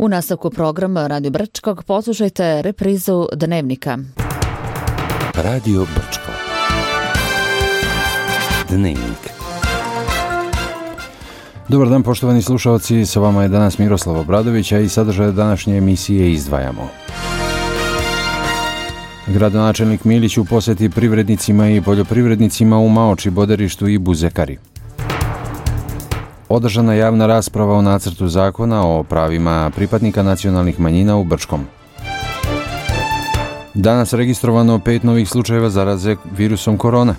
U nastavku programa Radio Brčkog poslušajte reprizu Dnevnika. Radio Brčko. Dnevnik. Dobar dan poštovani slušalci, sa vama je danas Miroslav Obradović, a i sadržaj današnje emisije izdvajamo. Gradonačelnik Milić u posjeti privrednicima i poljoprivrednicima u Maoči, Boderištu i Buzekari. Održana javna rasprava o nacrtu zakona o pravima pripadnika nacionalnih manjina u Brčkom. Danas registrovano 5 novih slučajeva zaraze virusom korona.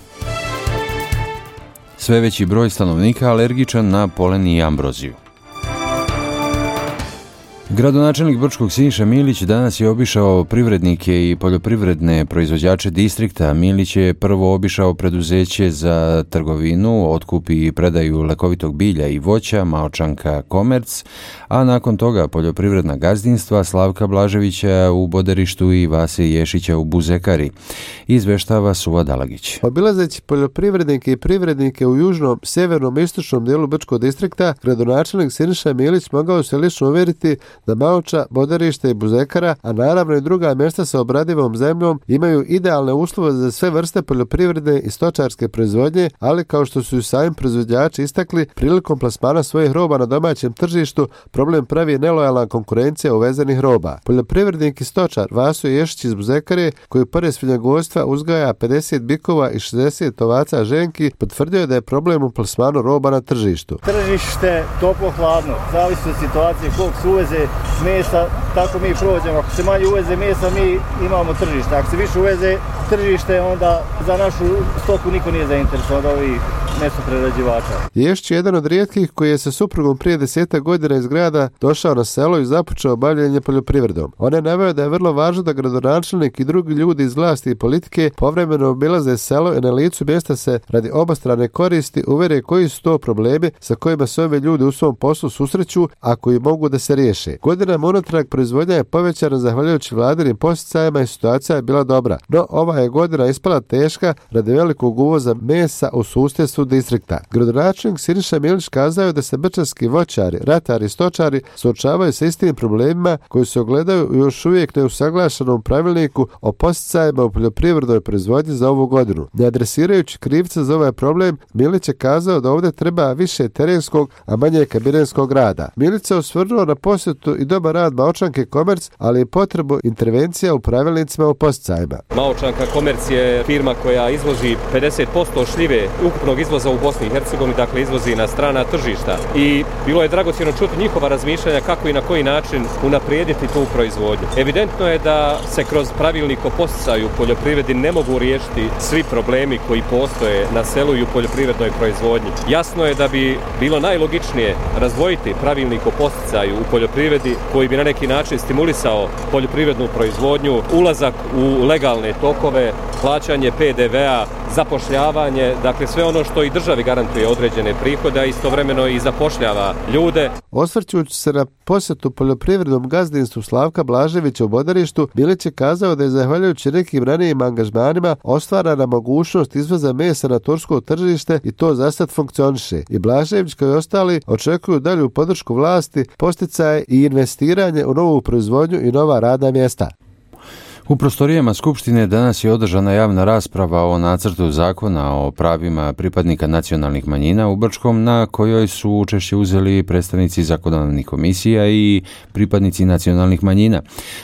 Sve veći broj stanovnika alergičan na polen i ambroziju. Gradonačelnik Brčkog Siniša Milić danas je obišao privrednike i poljoprivredne proizvođače distrikta. Milić je prvo obišao preduzeće za trgovinu, otkup i predaju lekovitog bilja i voća Maočanka Komerc, a nakon toga poljoprivredna gazdinstva Slavka Blaževića u Boderištu i Vase Ješića u Buzekari. Izveštava Suva Dalagić. Obilazeći poljoprivrednike i privrednike u južnom, sjevernom i istočnom dijelu Brčkog distrikta, gradonačelnik Siniša Milić mogao se lično uvjeriti da Maoča, Boderište i Buzekara, a naravno i druga mjesta sa obradivom zemljom, imaju idealne uslove za sve vrste poljoprivredne i stočarske proizvodnje, ali kao što su i sami proizvođači istakli, prilikom plasmana svojih roba na domaćem tržištu problem pravi nelojalna konkurencija uvezenih roba. Poljoprivrednik i stočar Vaso Ješić iz Buzekare, koji pored svinjogojstva uzgaja 50 bikova i 60 ovaca ženki, potvrdio je da je problem u plasmanu roba na tržištu. Tržište toplo-hladno, zavisi od situacije koliko se uveze mesa, tako mi prođemo. Ako se manje uveze mesa, mi imamo tržište. Ako se više uveze tržište, onda za našu stoku niko nije zainteresovan od ovih mesoprerađivača. Ješić je jedan od rijetkih koji je sa suprugom prije 10 godina iz grada došao na selo i započeo bavljenje poljoprivredom. On je naveo da je vrlo važno da gradonačelnik i drugi ljudi iz vlasti i politike povremeno obilaze selo i na licu mjesta se radi obostrane koristi uvjere koji su to problemi sa kojima se ovi ljudi u svom poslu susreću, a koji mogu da se riješe. Godinama unatrag proizvodnja je povećana zahvaljujući vladinim posticajima i situacija je bila dobra. No ova je godina ispala teška radi velikog uvoza mesa u susjedstvu distrikta. Gradonačelnik Siniša Milić kazao je da se brčanski voćari, ratari i stočari suočavaju sa istim problemima koji se ogledaju u još uvijek neusaglašenom pravilniku o posticajima u poljoprivrednoj proizvodnji za ovu godinu. Ne adresirajući krivca za ovaj problem, Milić je kazao da ovdje treba više terenskog, a manje kabinetskog rada. Milić se osvrnuo na posjetu i dobar rad Maočanke Komerc, ali i potrebu intervencija u pravilnicima o posticajima. Maočanka Komerc je firma koja izvozi 50% šljive ukupnog izvoza u Bosni i Hercegovini, dakle izvozi na strana tržišta. I bilo je dragocjeno čuti njihova razmišljanja kako i na koji način unaprijediti tu proizvodnju. Evidentno je da se kroz pravilnik o posticaju u poljoprivredi ne mogu riješiti svi problemi koji postoje na selu i u poljoprivrednoj proizvodnji. Jasno je da bi bilo najlogičnije razdvojiti pravilnik o posticaju u poljoprivredi koji bi na neki način stimulisao poljoprivrednu proizvodnju, ulazak u legalne tokove, plaćanje PDV-a, zapošljavanje, dakle sve ono što i državi garantuje određene prihode, a istovremeno i zapošljava ljude. Osvrćući se na posjetu poljoprivrednom gazdinstvu Slavka Blaževića u Boderištu, Milić je kazao da je zahvaljujući nekim ranijim angažmanima ostvarana mogućnost izvoza mesa na tursko tržište i to zasad funkcioniše. I Blažević kao i ostali očekuju dalju podršku vlasti, posticaje i investiranje u novu proizvodnju i nova radna mjesta. U prostorijama Skupštine danas je održana javna rasprava o nacrtu zakona o pravima pripadnika nacionalnih manjina u Brčkom, na kojoj su učešće uzeli predstavnici zakonodavnih komisija i pripadnici nacionalnih manjina.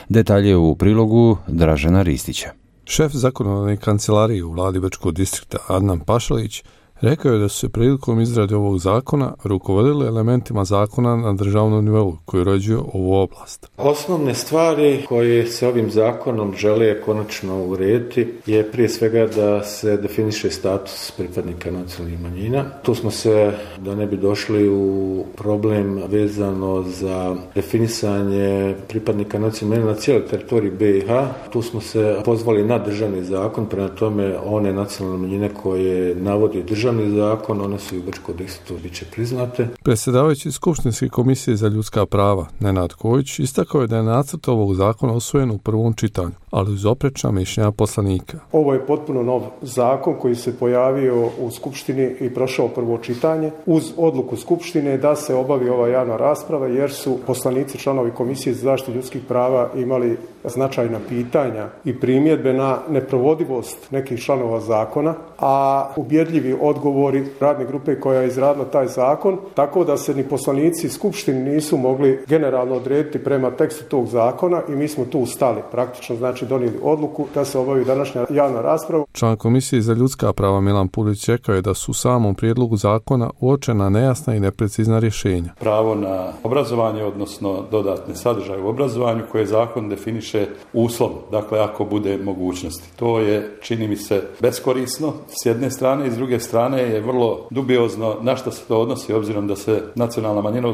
Detalje u prilogu Dražena Ristića. Šef zakonodavne kancelarije u vladi Brčkog distrikta Adnan Pašalić rekao je da su se prilikom izrade ovog zakona rukovodili elementima zakona na državnom nivou koji uređuje ovu oblast. Osnovne stvari koje se ovim zakonom žele konačno urediti je prije svega da se definiše status pripadnika nacionalnih manjina. Tu smo se, da ne bi došli u problem vezano za definisanje pripadnika nacionalnih manjina na cijeloj teritoriji BiH, tu smo se pozvali na državni zakon, prema tome one nacionalne manjine koje navodi državni državni zakon, one su i u Brčkom distriktu bit će priznate. Predsjedavajući Skupštinske komisije za ljudska prava Nenad Kojić istakao je da je nacrt ovog zakona usvojen u prvom čitanju, ali uz oprečna mišljenja poslanika. Ovo je potpuno nov zakon koji se pojavio u Skupštini i prošao prvo čitanje uz odluku Skupštine da se obavi ova javna rasprava jer su poslanici članovi Komisije za zaštitu ljudskih prava imali značajna pitanja i primjedbe na neprovodivost nekih članova zakona, a ubjedljivi odgovori radne grupe koja je izradila taj zakon, tako da se ni poslanici Skupštine nisu mogli generalno odrediti prema tekstu tog zakona i mi smo tu stali. Praktično znači donijeli odluku da se obavi današnja javna rasprava. Član Komisije za ljudska prava Milan Pulić rekao je da su u samom prijedlogu zakona uočena nejasna i neprecizna rješenja. Pravo na obrazovanje, odnosno dodatne sadržaje u obrazovanju koje zakon definiše uslovno, dakle ako bude mogućnosti. To je, čini mi se, beskorisno s jedne strane i s druge strane je vrlo dubiozno na što se to odnosi, obzirom da se nacionalna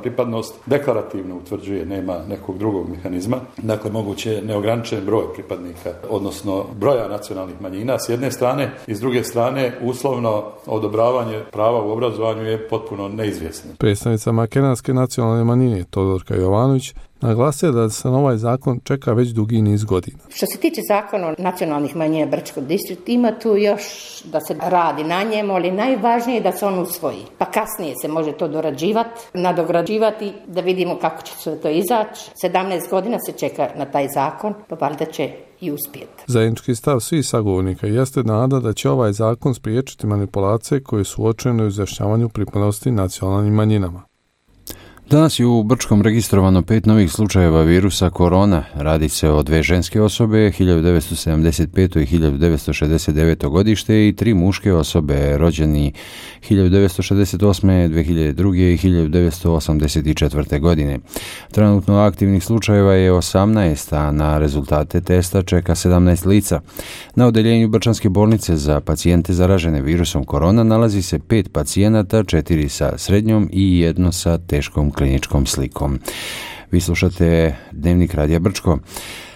pripadnost deklarativno utvrđuje, nema nekog drugog mehanizma. Dakle, moguće je neograničen broj pripadnika, odnosno broja nacionalnih manjina s jedne strane i s druge strane uslovno odobravanje prava u obrazovanju je potpuno neizvjesno. Predstavnica makedonske nacionalne manjine Todorka Jovanović naglasio da se na ovaj zakon čeka već dugi niz godina. Što se tiče zakona o nacionalnih manjina Brčkog distrikta, ima tu još da se radi na njemu, ali najvažnije je da se on usvoji. Pa kasnije se može to dorađivati, nadograđivati, da vidimo kako će se to izaći. 17 godina se čeka na taj zakon, pa valjda će i uspjeti. Zajednički stav svih sagovornika jeste nada da će ovaj zakon spriječiti manipulacije koje su uočene u izjašnjavanju pripadnosti nacionalnim manjinama. Danas je u Brčkom registrovano 5 novih slučajeva virusa korona. Radi se o 2 ženske osobe, 1975. i 1969. godište i 3 muške osobe, rođeni 1968., 2002. i 1984. godine. Trenutno aktivnih slučajeva je 18, a na rezultate testa čeka 17 lica. Na odeljenju Brčanske bolnice za pacijente zaražene virusom korona nalazi se 5 pacijenata, 4 sa srednjom i 1 sa teškom kliničkom slikom. Vi slušate Dnevnik Radija Brčko.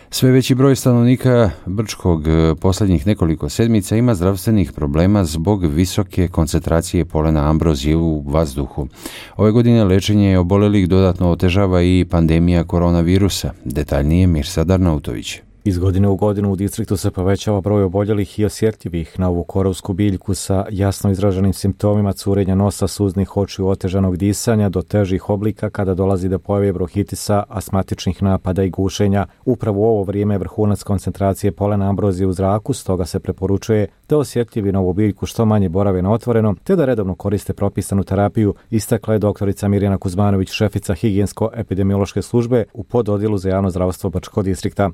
Sve veći broj stanovnika Brčkog posljednjih nekoliko sedmica ima zdravstvenih problema zbog visoke koncentracije polena ambrozije u vazduhu. Ove godine lečenje oboljelih dodatno otežava i pandemija koronavirusa. Detaljnije Mirsad Arnautović. Iz godine u godinu u distriktu se povećava broj oboljelih i osjetljivih na ovu korovsku biljku sa jasno izraženim simptomima curenja nosa, suznih očiju, otežanog disanja do težih oblika kada dolazi do pojave bronhitisa, astmatičnih napada i gušenja. Upravo u ovo vrijeme je vrhunac koncentracije polena ambrozije u zraku, stoga se preporučuje da osjetljivi na ovu biljku što manje borave na otvorenom, te da redovno koriste propisanu terapiju, istakla je doktorica Mirjana Kuzmanović, šefica higijensko-epidemiološke službe u pododjelu za javno zdravstvo Brčkog distrikta.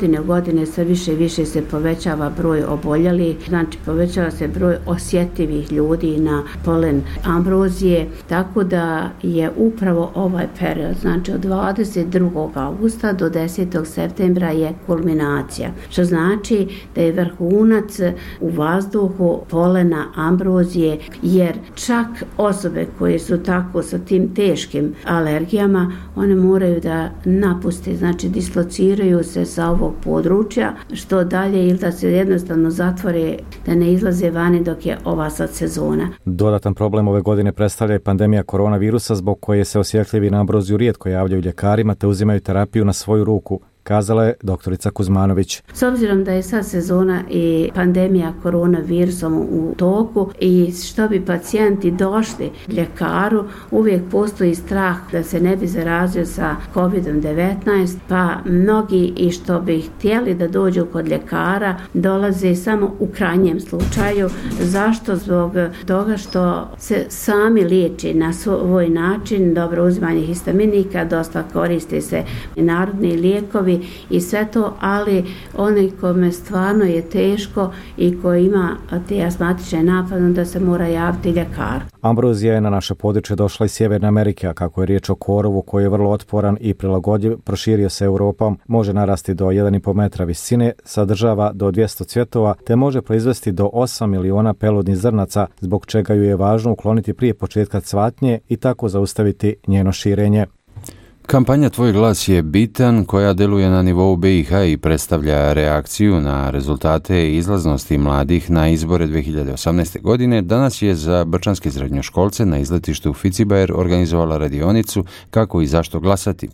Godine u godine sve više i više se povećava broj oboljelih, znači povećava se broj osjetljivih ljudi na polen ambrozije, tako da je upravo ovaj period, znači od 22. augusta do 10. septembra je kulminacija, što znači da je vrhunac u vazduhu polena ambrozije, jer čak osobe koje su tako sa tim teškim alergijama, one moraju da napuste, znači dislociraju se sa ovog područja, što dalje ili da se jednostavno zatvore, da ne izlaze vani dok je ova sad sezona. Dodatan problem ove godine predstavlja i pandemija koronavirusa zbog koje se osjetljivi na ambroziju rijetko javljaju ljekarima te uzimaju terapiju na svoju ruku, kazala je doktorica Kuzmanović. S obzirom da je sad sezona i pandemija koronavirusom u toku i što bi pacijenti došli ljekaru, uvijek postoji strah da se ne bi zarazio sa COVID-19, pa mnogi i što bi htjeli da dođu kod ljekara dolaze samo u krajnjem slučaju. Zašto? Zbog toga što se sami liječi na svoj način, dobro uzimanje histaminika, dosta koriste se i narodni lijekovi i sve to, ali onaj kome stvarno je teško i ko ima te astmatične napade, da se mora javiti ljekar. Ambrozija je na naše područje došla iz Sjeverne Amerike, a kako je riječ o korovu koji je vrlo otporan i prilagodljiv, proširio se Europom, može narasti do 1,5 metra visine, sadržava do 200 cvjetova, te može proizvesti do 8 miliona peludnih zrnaca, zbog čega ju je važno ukloniti prije početka cvatnje i tako zaustaviti njeno širenje. Kampanja Tvoj glas je bitan, koja deluje na nivou BiH i predstavlja reakciju na rezultate izlaznosti mladih na izbore 2018. godine, danas je za brčanske srednjoškolce na izletištu Ficibajer organizovala radionicu kako i zašto glasati.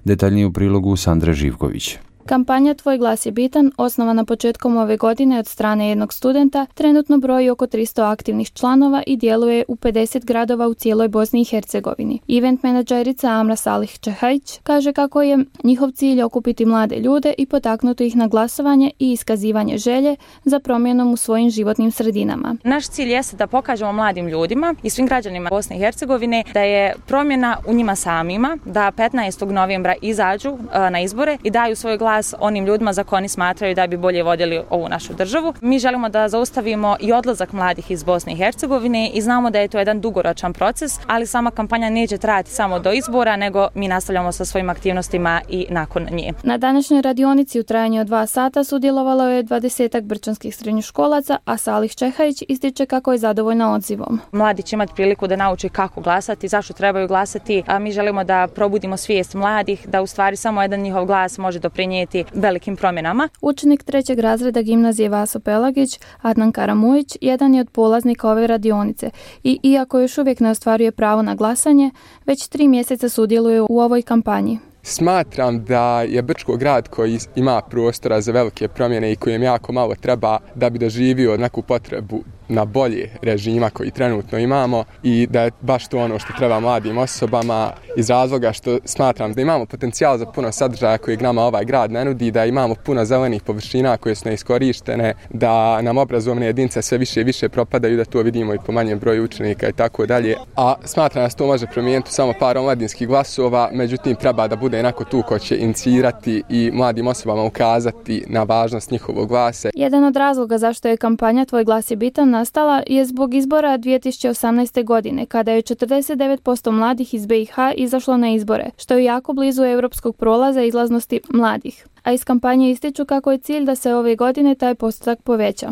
Detaljnije u prilogu Sandre Živković. Kampanja Tvoj glas je bitan, osnovana početkom ove godine od strane jednog studenta, trenutno broji oko 300 aktivnih članova i djeluje u 50 gradova u cijeloj Bosni i Hercegovini. Event menadžerica Amra Salih Čehajić kaže kako je njihov cilj okupiti mlade ljude i potaknuti ih na glasovanje i iskazivanje želje za promjenom u svojim životnim sredinama. Naš cilj jeste da pokažemo mladim ljudima i svim građanima Bosne i Hercegovine da je promjena u njima samima, da 15. novembra izađu na izbore i daju svoj glas onim ljudima za koje oni smatraju da bi bolje vodili ovu našu državu. Mi želimo da zaustavimo i odlazak mladih iz Bosne i Hercegovine i znamo da je to jedan dugoročan proces, ali sama kampanja neće trajati samo do izbora, nego mi nastavljamo sa svojim aktivnostima i nakon nje. Na današnjoj radionici u trajanju od 2 sata sudjelovalo je 20 brčanskih srednjoškolaca, a Salih Čehajić ističe kako je zadovoljna odzivom. Mladi će imati priliku da nauči kako glasati, zašto trebaju glasati, a mi želimo da probudimo svijest mladih, da u stvari samo jedan njihov glas može doprinijeti velikim promjenama. Učenik 3. razreda gimnazije Vaso Pelagić, Adnan Karamujić, jedan je od polaznika ove radionice i iako još uvijek ne ostvaruje pravo na glasanje, već 3 mjeseca sudjeluje u ovoj kampanji. Smatram da je Brčko grad koji ima prostora za velike promjene i kojem jako malo treba da bi doživio neku potrebu na bolje režima koji trenutno imamo i da je baš to ono što treba mladim osobama iz razloga što smatram da imamo potencijal za puno sadržaja kojeg nama ovaj grad ne nudi, da imamo puno zelenih površina koje su neiskorištene, da nam obrazovne jedinice sve više i više propadaju, da to vidimo i po manjem broju učenika i tako dalje. A smatram da se to može promijeniti samo par omladinskih glasova, međutim treba da bude onako tu ko će inicirati i mladim osobama ukazati na važnost njihovog glasa. Jedan od razloga zašto je kampanja Tvoj glas je bitan nastala je zbog izbora 2018. godine, kada je 49% mladih iz BiH izašlo na izbore, što je jako blizu europskog prolaza izlaznosti mladih. A iz kampanje ističu kako je cilj da se ove godine taj postotak poveća.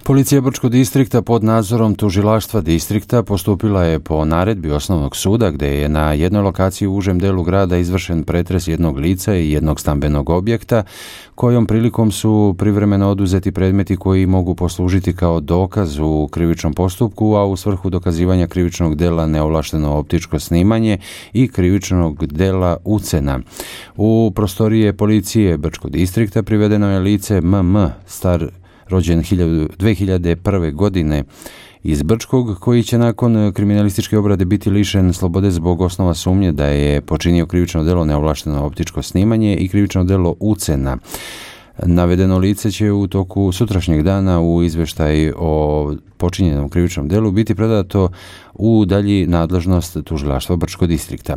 Policija Brčkog distrikta pod nadzorom tužilaštva distrikta postupila je po naredbi osnovnog suda gdje je na jednoj lokaciji u užem delu grada izvršen pretres jednog lica i jednog stambenog objekta, kojom prilikom su privremeno oduzeti predmeti koji mogu poslužiti kao dokaz u krivičnom postupku, a u svrhu dokazivanja krivičnog dela neovlašteno optičko snimanje i krivičnog dela ucena. U prostorije policije Brčkog distrikta privedeno je lice MM, star rođen 2001. godine iz Brčkog, koji će nakon kriminalističke obrade biti lišen slobode zbog osnova sumnje da je počinio krivično delo neovlašteno optičko snimanje i krivično delo ucena. Navedeno lice će u toku sutrašnjeg dana u izvještaj o počinjenom krivičnom delu biti predato u dalji nadležnost tužilaštva Brčkog distrikta.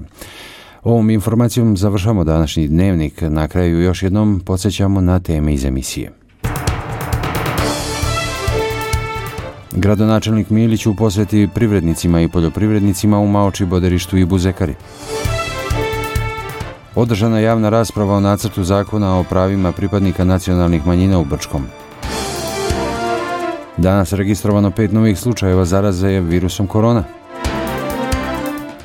Ovom informacijom završamo današnji dnevnik. Na kraju još jednom podsjećamo na teme iz emisije. Gradonačelnik Milić u posjeti privrednicima i poljoprivrednicima u Maoči, Boderištu i Buzekari. Održana javna rasprava o nacrtu zakona o pravima pripadnika nacionalnih manjina u Brčkom. Danas registrovano 5 novih slučajeva zaraze virusom korona.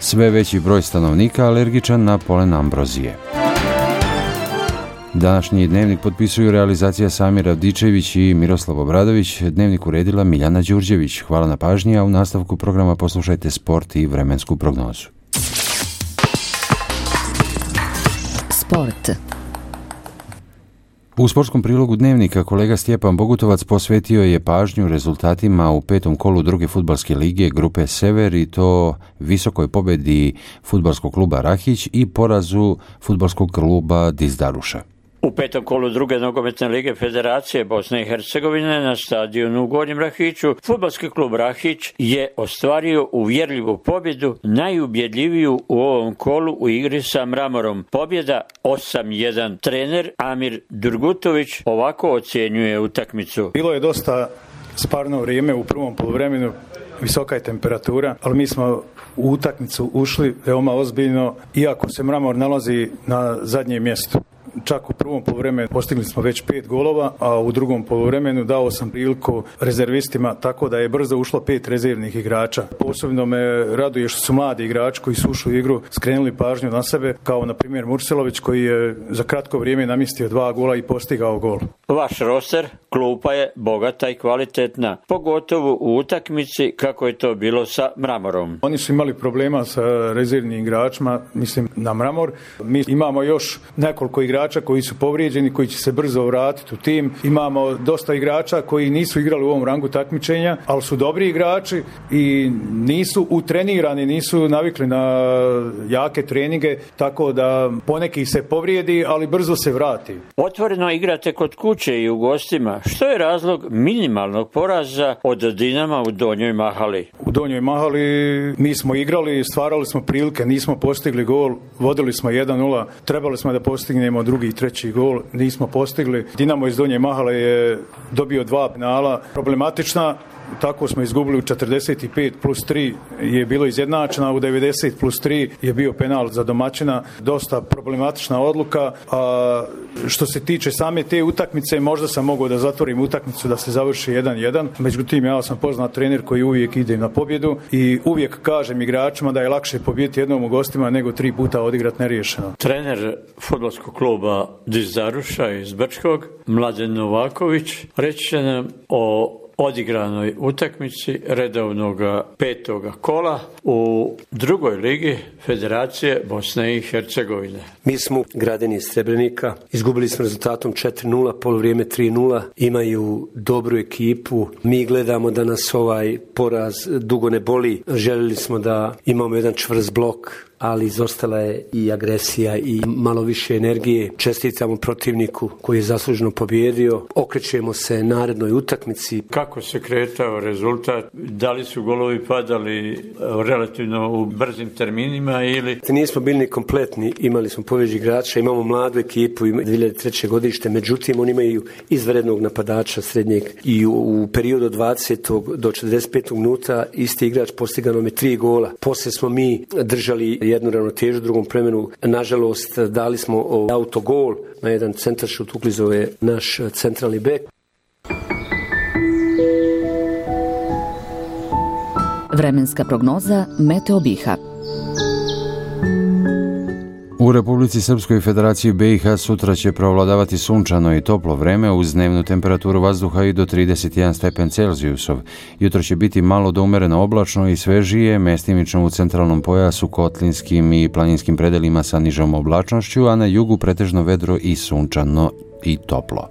Sve veći broj stanovnika alergičan na polen ambrozije. Današnji dnevnik potpisuju realizacija Samir Avdičević i Miroslav Obradović, dnevnik uredila Miljana Đurđević. Hvala na pažnji, a u nastavku programa poslušajte sport i vremensku prognozu. Sport. U sportskom prilogu dnevnika kolega Stjepan Bogutovac posvetio je pažnju rezultatima u 5. kolu druge fudbalske lige grupe Sever i to visokoj pobjedi fudbalskog kluba Rahić i porazu fudbalskog kluba Dizdaruša. U 5. kolu druge nogometne lige Federacije Bosne i Hercegovine na stadionu u Gornjem Rahiću fudbalski klub Rahić je ostvario uvjerljivu pobjedu, najubjedljiviju u ovom kolu u igri sa Mramorom. Pobjeda 8-1. Trener Amir Durgutović ovako ocjenjuje utakmicu. Bilo je dosta sparno vrijeme u prvom poluvremenu, visoka je temperatura, ali mi smo u utakmicu ušli veoma ozbiljno, iako se Mramor nalazi na zadnjem mjestu. čak u prvom poluvremenu postigli smo već 5 golova, a u drugom poluvremenu dao sam priliku rezervistima, tako da je brzo ušlo 5 rezervnih igrača. Posebno me raduje što su mladi igrači koji su ušli u igru skrenuli pažnju na sebe, kao na primjer Murselović koji je za kratko vrijeme namjestio 2 gola i postigao gol. Vaš roster, klupa je bogata i kvalitetna, pogotovo u utakmici kako je to bilo sa Mramorom. Oni su imali problema sa rezervnim igračima, mislim na Mramor. Mi imamo još nekoliko igrača koji su povrijeđeni, koji će se brzo vratiti u tim. Imamo dosta igrača koji nisu igrali u ovom rangu takmičenja, ali su dobri igrači i nisu utrenirani, nisu navikli na jake treninge, tako da poneki se povrijedi, ali brzo se vrati. Otvoreno igrate kod kuće i u gostima. Što je razlog minimalnog poraza od Dinama u Donjoj Mahali? U Donjoj Mahali mi smo igrali, stvarali smo prilike, nismo postigli gol, vodili smo 1-0, trebali smo da postignemo drugi i treći gol, nismo postigli. Dinamo iz Donje Mahale je dobio 2 penala, problematična. Tako smo izgubili u 45 plus 3 je bilo izjednačena, u 90 plus 3 je bio penal za domaćina. Dosta problematična odluka. A što se tiče same te utakmice, možda sam mogao da zatvorim utakmicu da se završi 1-1. Međutim, ja sam poznat trener koji uvijek ide na pobjedu i uvijek kažem igračima da je lakše pobijediti jednom u gostima nego 3 puta odigrati neriješeno. Trener fudbalskog kluba Dizaruša iz Brčkog, Mladen Novaković, reći će nam o odigranoj utakmici redovnog 5. kola u drugoj ligi Federacije Bosne i Hercegovine. Mi smo građani iz Srebrenika, izgubili smo rezultatom 4-0, poluvrijeme 3-0, imaju dobru ekipu, mi gledamo da nas ovaj poraz dugo ne boli, željeli smo da imamo jedan čvrst blok, ali izostala je i agresija i malo više energije. Čestitamo protivniku koji je zasluženo pobjedio. Okrećemo se narednoj utakmici. Kako se kretao rezultat? Da li su golovi padali relativno u brzim terminima ili? Nismo bili ni kompletni, imali smo povjeđi igrača, imamo mladu ekipu, 2003. godište, međutim oni imaju izvanrednog napadača srednjeg i u periodu od 20. do 45. minuta isti igrač postigao nam je 3 gola. Poslije smo mi držali jednu ravnotežu u drugom vremenu. Nažalost, dali smo autogol na jedan centaršut, uklizao je naš centralni bek. Vremenska prognoza Meteo BiH. U Republici Srpskoj Federaciji BiH sutra će preovladavati sunčano i toplo vreme uz dnevnu temperaturu vazduha i do 31 stepen Celzijusov. Jutro će biti malo do umereno oblačno i svežije, mestimično u centralnom pojasu, kotlinskim i planinskim predelima sa nižom oblačnošću, a na jugu pretežno vedro i sunčano i toplo.